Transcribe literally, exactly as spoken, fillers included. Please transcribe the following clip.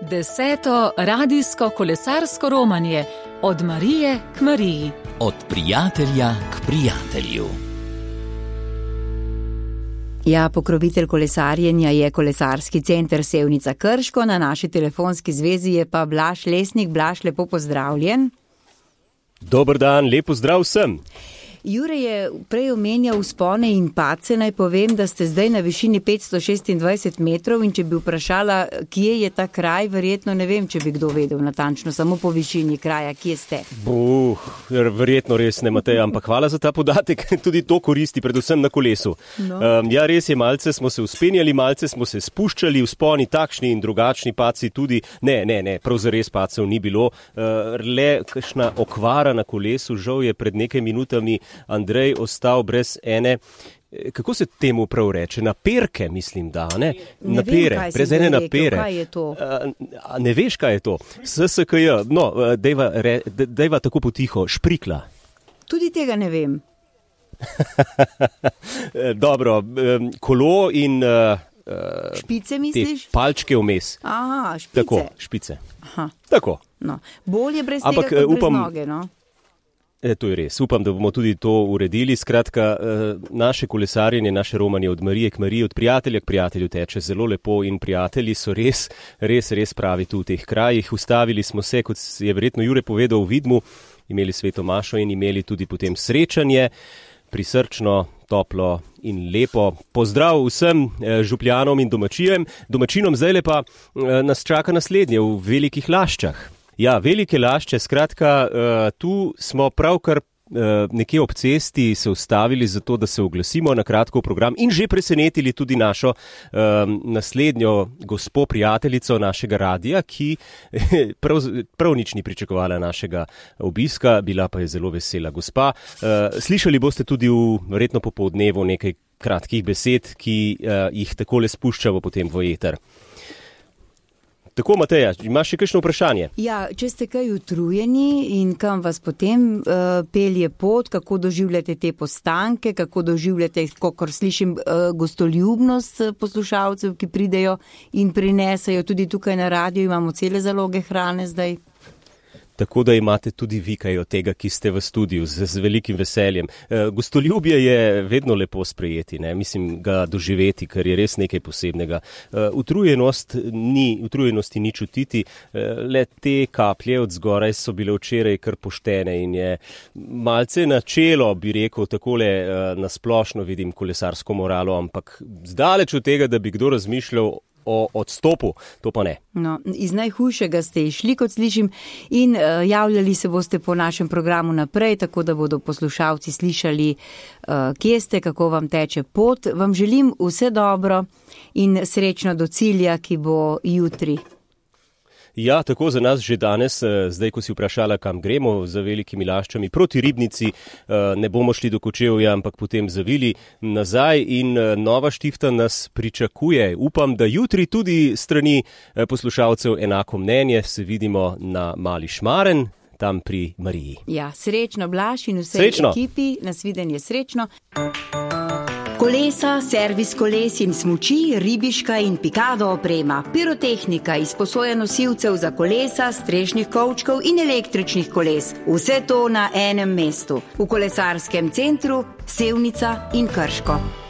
Deseto radijsko kolesarsko romanje od Marije k Mariji. Od prijatelja k prijatelju. Ja, pokrovitelj kolesarjenja je kolesarski center Sevnica Krško, na naši telefonski zvezi je pa Blaž Lesnik. Blaž, lepo pozdravljen. Dober dan, lepo zdrav vsem. Jure je prej omenjal vzpone in padce, naj povem, da ste zdaj na višini petsto šestindvajset metrov in če bi vprašala, kje je ta kraj, verjetno ne vem, če bi kdo vedel natančno, samo po višini kraja, kje ste. Buh, verjetno res ne, Matej, ampak hvala za ta podatek, tudi to koristi, predvsem na kolesu. No. Um, ja, res je, malce smo se uspenjali, malce smo se spuščali, vzponi takšni in drugačni, padci tudi, ne, ne, ne, prav zares padcev ni bilo, uh, le kakšna okvara na kolesu, žal je pred nekaj minutami Andrej ostal brez ene, kako se temu prav reče, naperke, mislim, da, ne? Ne Napere, vem, brez ene napere. Kaj je to? A, ne veš, kaj je to? S S K J, no, dejva, re, dejva tako potiho, šprikla. Tudi tega ne vem. Dobro, kolo in špice misliš? Te palčke vmes. Aha, špice. Tako, špice. Aha. Tako. No. Bolje brez Ampak, tega, kot upam, brez noge, no? E, to je res. Upam, da bomo tudi to uredili. Skratka, naše kolesarjenje, naše romanje od Marije k Mariji, od prijatelja k prijatelju teče zelo lepo in prijatelji so res, res, res pravi tu v teh krajih. Ustavili smo se, kot je verjetno Jure povedal, v Vidmu, imeli sveto mašo in imeli tudi potem srečanje, prisrčno, toplo in lepo. Pozdrav vsem župljanom in domačijem. Domačinom zdaj pa nas čaka naslednje v Velikih Laščah. Ja, Velike Lašče, skratka, tu smo pravkar nekje ob cesti se ustavili zato, da se oglasimo na kratko v program in že presenetili tudi našo naslednjo gospo prijateljico našega radija, ki prav, prav nič ni pričakovala našega obiska, bila pa je zelo vesela gospa. Slišali boste tudi v verjetno popoldnevu nekaj kratkih besed, ki jih takole spuščamo potem v eter. Tako, Mateja, imaš še kakšno vprašanje? Ja, če ste kaj utrujeni in kam vas potem uh, pelje pot, kako doživljate te postanke, kako doživljate, kakor slišim, uh, gostoljubnost poslušalcev, ki pridejo in prinesajo tudi tukaj na radiju, imamo cele zaloge hrane zdaj. Tako da imate tudi vi kaj od tega, ki ste v studiu z, z velikim veseljem. E, gostoljubje je vedno lepo sprejeti, ne? Mislim ga doživeti, ker je res nekaj posebnega. E, utrujenost ni, utrujenosti ni čutiti, e, le te kaplje od zgoraj so bile včeraj kar poštene in je malce načelo, bi rekel, takole e, nasplošno vidim kolesarsko moralo, ampak zdaleč od tega, da bi kdo razmišljal o odstopu, to pa ne. No, iz najhujšega ste išli, kot slišim, in uh, javljali se boste po našem programu naprej, tako da bodo poslušalci slišali, uh, kje ste, kako vam teče pot. Vam želim vse dobro in srečno do cilja, ki bo jutri. Ja, tako za nas že danes, zdaj, ko si vprašala, kam gremo za Velikimi Laščami, proti Ribnici, ne bomo šli do Kočevja, ampak potem zavili nazaj in Nova Štifta nas pričakuje. Upam, da jutri tudi strani poslušalcev enako mnenje, se vidimo na Mali Šmaren, tam pri Mariji. Ja, srečno, Blaž, in vsej srečno. Ekipi, nasvidenje srečno. Kolesa, servis koles in smuči, ribiška in pikado oprema, pirotehnika, izposoja nosilcev za kolesa, strešnih kovčkov in električnih koles. Vse to na enem mestu, v kolesarskem centru Sevnica in Krško.